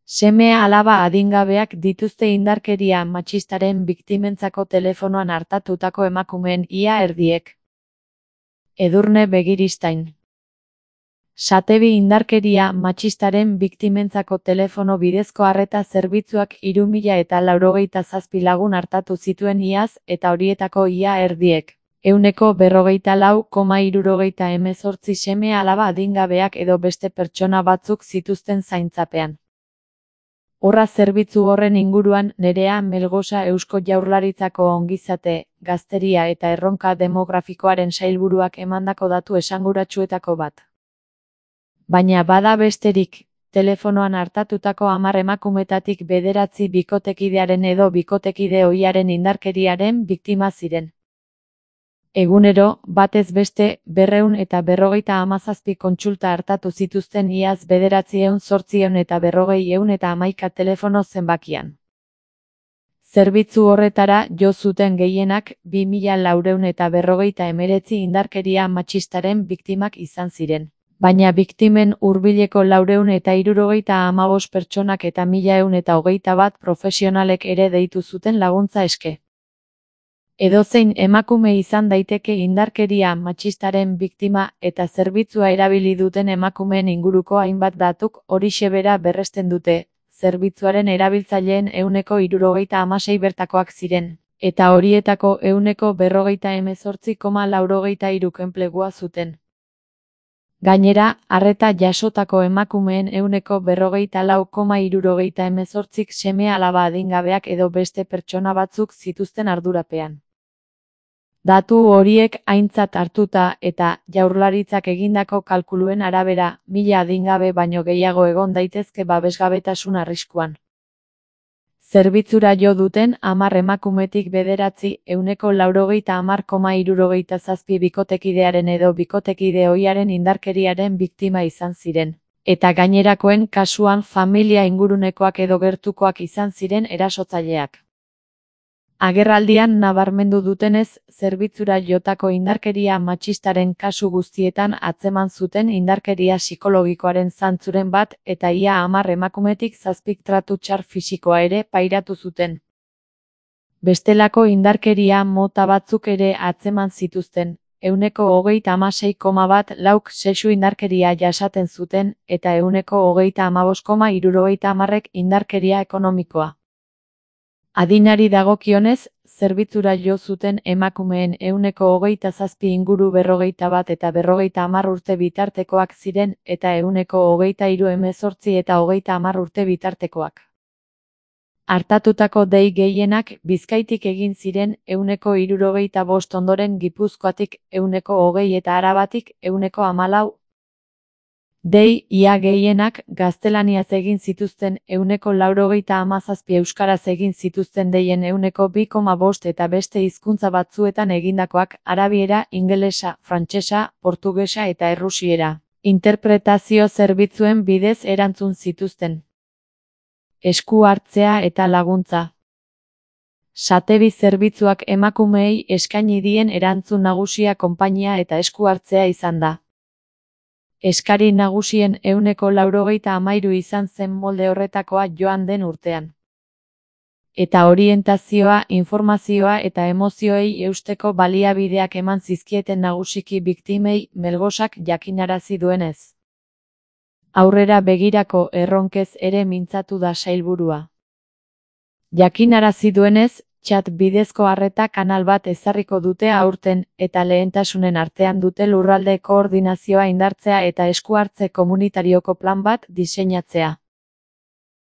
Seme-alaba adingabeak dituzte indarkeria matxistaren biktimentzako telefonoan artatutako emakumeen ia erdiek. Edurne Begiristain. Satebi indarkeria matxistaren biktimentzako telefono bidezko arreta zerbitzuak 3097 lagun artatu zituen iaz eta horietako ia erdiek. 144,78 seme-alaba adingabeak edo beste pertsona batzuk zituzten zaintzapean. Horra zerbitzu horren inguruan Nerea Melgosa Eusko Jaurlaritzako ongizate, gazteria eta erronka demografikoaren sailburuak emandako datu esanguratsuetako bat. Baina bada besterik, telefonoan artatutako 10 emakumetatik 9 bikotekidearen edo bikotekide ohiaren indarkeriaren biktima ziren. Egunero, batez beste, 257 kontsulta hartatu zituzten iaz 948,111 telefono zenbakian. Zerbitzu horretara jo zuten gehienak 2459 indarkeria matxistaren biktimak izan ziren. Baina biktimen hurbileko 475 pertsonak eta 1121 profesionalek ere deitu zuten laguntza eske. Edozein emakume izan daiteke indarkeria matxistaren biktima eta zerbitzua erabili duten emakumeen inguruko hainbat datuk horixe bera berresten dute, zerbitzuaren erabiltzaileen 76% bertakoak ziren, eta horietako 48,83 enplegua zuten. Gainera, arreta jasotako emakumeen 44,78 seme-alaba adingabeak edo beste pertsona batzuk zituzten ardurapean. Datu horiek aintzat hartuta eta Jaurlaritzak egindako kalkuluen arabera, 1000 adingabe baino gehiago egon daitezke babesgabetasun arriskuan. Zerbitzura jo duten 10 emakumetik 9 190,77 bikotekidearen edo bikotekide ohiaren indarkeriaren biktima izan ziren, eta gainerakoen kasuan familia ingurunekoak edo gertukoak izan ziren erasotzaileak. Agerraldian nabarmendu dutenez, zerbitzura jotako indarkeria matxistaren kasu guztietan atzeman zuten indarkeria psikologikoaren zantzuren bat eta ia 10 emakumetik 7 tratu txar fisikoa ere pairatu zuten. Bestelako indarkeria mota batzuk ere atzeman zituzten, 36,1 lauk sexu indarkeria jasaten zuten eta 35,70 indarkeria ekonomikoa. Adinari dagokionez, zerbitzura jo zuten emakumeen 27 inguru 41 eta 50 urte bitartekoak ziren eta 23 eta 30 urte bitartekoak. Artatutako dei gehienak Bizkaitik egin ziren 75 ondoren Gipuzkoatik 20 eta Arabatik 14. Dei ia gehienak gaztelaniaz egin zituzten 97 euskaraz egin zituzten deien 2,5 eta beste hizkuntza batzuetan egindakoak arabiera, ingelesa, frantsesa, portugesa eta errusiera. Interpretazio zerbitzuen bidez erantzun zituzten. Esku hartzea eta laguntza. Satebi zerbitzuak emakumeei eskaini dien erantzun nagusia konpainia eta esku hartzea izan da. Eskari nagusien 193 izan zen molde horretakoa joan den urtean. Eta orientazioa, informazioa eta emozioei eusteko baliabideak eman zizkieten nagusiki biktimei Melgosak jakinarazi duenez. Aurrera begirako erronkez ere mintzatu da sailburua. Jakinarazi duenez, chat bidezko arreta kanal bat ezarriko dute aurten eta lehentasunen artean dute lurralde koordinazioa indartzea eta esku hartze komunitarioko plan bat diseinatzea.